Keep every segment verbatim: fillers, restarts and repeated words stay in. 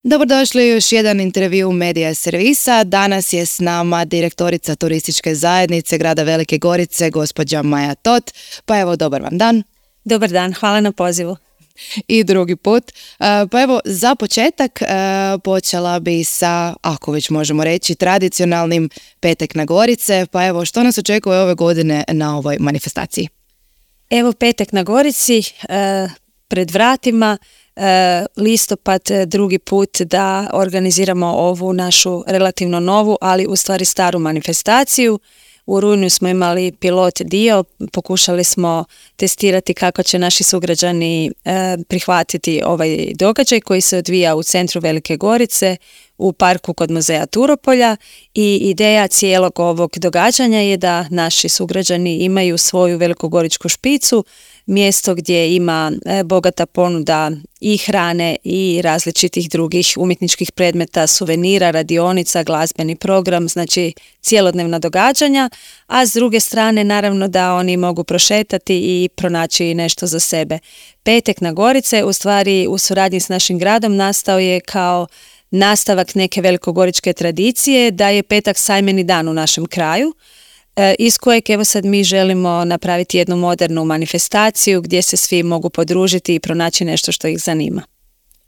Dobrodošli u još jedan intervju Medija servisa. Danas je s nama direktorica turističke zajednice grada Velike Gorice, gospođa Maja Tot. Pa evo, dobar vam dan. Dobar dan, hvala na pozivu. I drugi put. Pa evo, za početak počela bi sa, ako već možemo reći, tradicionalnim Petak na Gorice. Pa evo, što nas očekuje ove godine na ovoj manifestaciji? Evo, Petak na Gorici, pred vratima, listopad drugi put da organiziramo ovu našu relativno novu, ali u stvari staru manifestaciju. U rujnu smo imali pilot dio, pokušali smo testirati kako će naši sugrađani e, prihvatiti ovaj događaj koji se odvija u centru Velike Gorice, u parku kod muzeja Turopolja, i ideja cijelog ovog događanja je da naši sugrađani imaju svoju velikogoričku špicu, mjesto gdje ima e, bogata ponuda i hrane i različitih drugih umjetničkih predmeta, suvenira, radionica, glazbeni program, znači cjelodnevna događanja, a s druge strane naravno da oni mogu prošetati i pronaći nešto za sebe. Petak na Gorice u stvari u suradnji s našim gradom nastao je kao nastavak neke velikogoričke tradicije da je petak sajmeni dan u našem kraju, iz kojeg evo sad mi želimo napraviti jednu modernu manifestaciju gdje se svi mogu podružiti i pronaći nešto što ih zanima.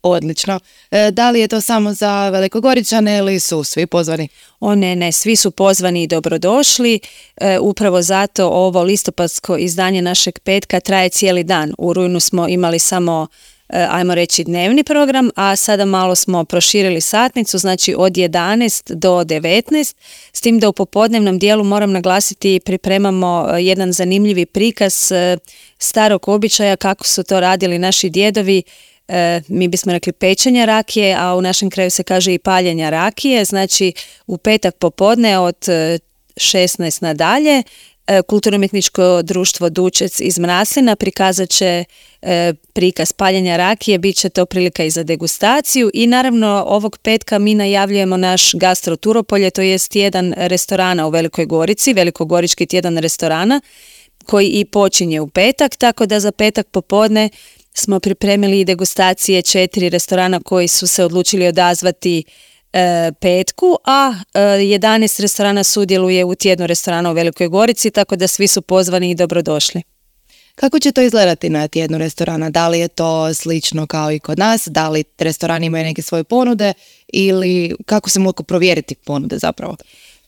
Odlično. E, da li je to samo za Velikogoričane ili su svi pozvani? O ne, ne, svi su pozvani i dobrodošli. E, upravo zato ovo listopadsko izdanje našeg petka traje cijeli dan. U rujnu smo imali samo ajmo reći dnevni program, a sada malo smo proširili satnicu, znači od jedanaest do devetnaest, s tim da u popodnevnom dijelu moram naglasiti pripremamo jedan zanimljivi prikaz starog običaja kako su to radili naši djedovi, mi bismo rekli pečenja rakije, a u našem kraju se kaže i paljenja rakije, znači u petak popodne od šesnaest nadalje Kulturno-umjetničko društvo Dučec iz Mraslina prikazat će e, prikaz paljenja rakije, bit će to prilika i za degustaciju i naravno ovog petka mi najavljujemo naš gastro Turopolje, to jest tjedan restorana u Velikoj Gorici, velikogorički tjedan restorana koji i počinje u petak, tako da za petak popodne smo pripremili i degustacije četiri restorana koji su se odlučili odazvati E, petku, a e, jedanaest restorana sudjeluje u tjednu restorana u Velikoj Gorici, tako da svi su pozvani i dobrodošli. Kako će to izgledati na tjednu restorana? Da li je to slično kao i kod nas? Da li restorani imaju neke svoje ponude ili kako se mogu provjeriti ponude zapravo?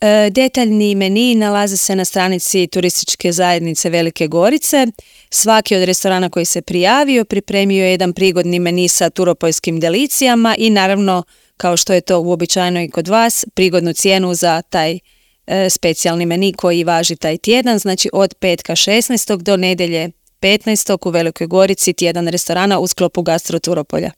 E, detaljni meni nalaze se na stranici turističke zajednice Velike Gorice. Svaki od restorana koji se prijavio pripremio je jedan prigodni meni sa turopoljskim delicijama i naravno, kao što je to uobičajeno i kod vas, prigodnu cijenu za taj e, specijalni meni koji važi taj tjedan, znači od petka šesnaestog do nedjelje petnaestog u Velikoj Gorici tjedan restorana u sklopu Gastro Turopolja.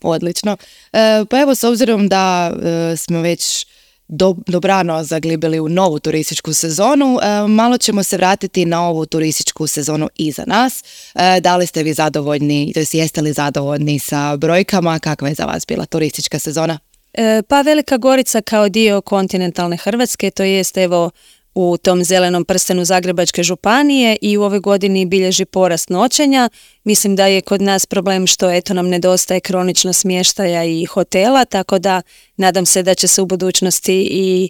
Odlično. E, pa evo, s obzirom da e, smo već do, dobrano zaglibili u novu turističku sezonu, e, malo ćemo se vratiti na ovu turističku sezonu iza nas. E, da li ste vi zadovoljni, to jest jeste li zadovoljni sa brojkama? Kakva je za vas bila turistička sezona? E, pa Velika Gorica kao dio kontinentalne Hrvatske, to jest evo u tom zelenom prstenu Zagrebačke županije i u ovoj godini bilježi porast noćenja. Mislim da je kod nas problem što eto nam nedostaje kronično smještaja i hotela, tako da nadam se da će se u budućnosti i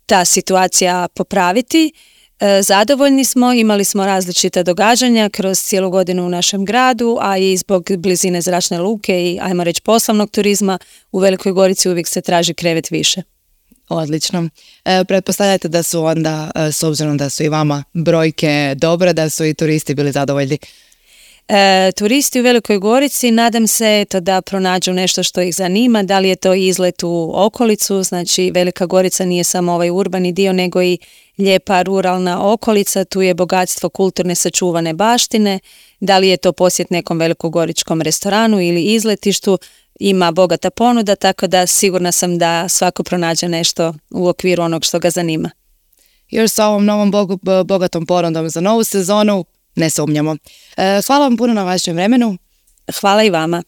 ta situacija popraviti. E, zadovoljni smo, imali smo različita događanja kroz cijelu godinu u našem gradu, a i zbog blizine zračne luke i ajmo reći poslovnog turizma u Velikoj Gorici uvijek se traži krevet više. Odlično. E, pretpostavljate da su onda, e, s obzirom da su i vama brojke dobre, da su i turisti bili zadovoljni? E, turisti u Velikoj Gorici nadam se eto, da pronađu nešto što ih zanima, da li je to izlet u okolicu, znači Velika Gorica nije samo ovaj urbani dio, nego i lijepa ruralna okolica, tu je bogatstvo kulturne sačuvane baštine, da li je to posjet nekom velikogoričkom restoranu ili izletištu, ima bogata ponuda, tako da sigurna sam da svako pronađe nešto u okviru onog što ga zanima. Još sa ovom novom bogu, bogatom ponudom za novu sezonu ne sumnjamo. E, hvala vam puno na vašem vremenu. Hvala i vama.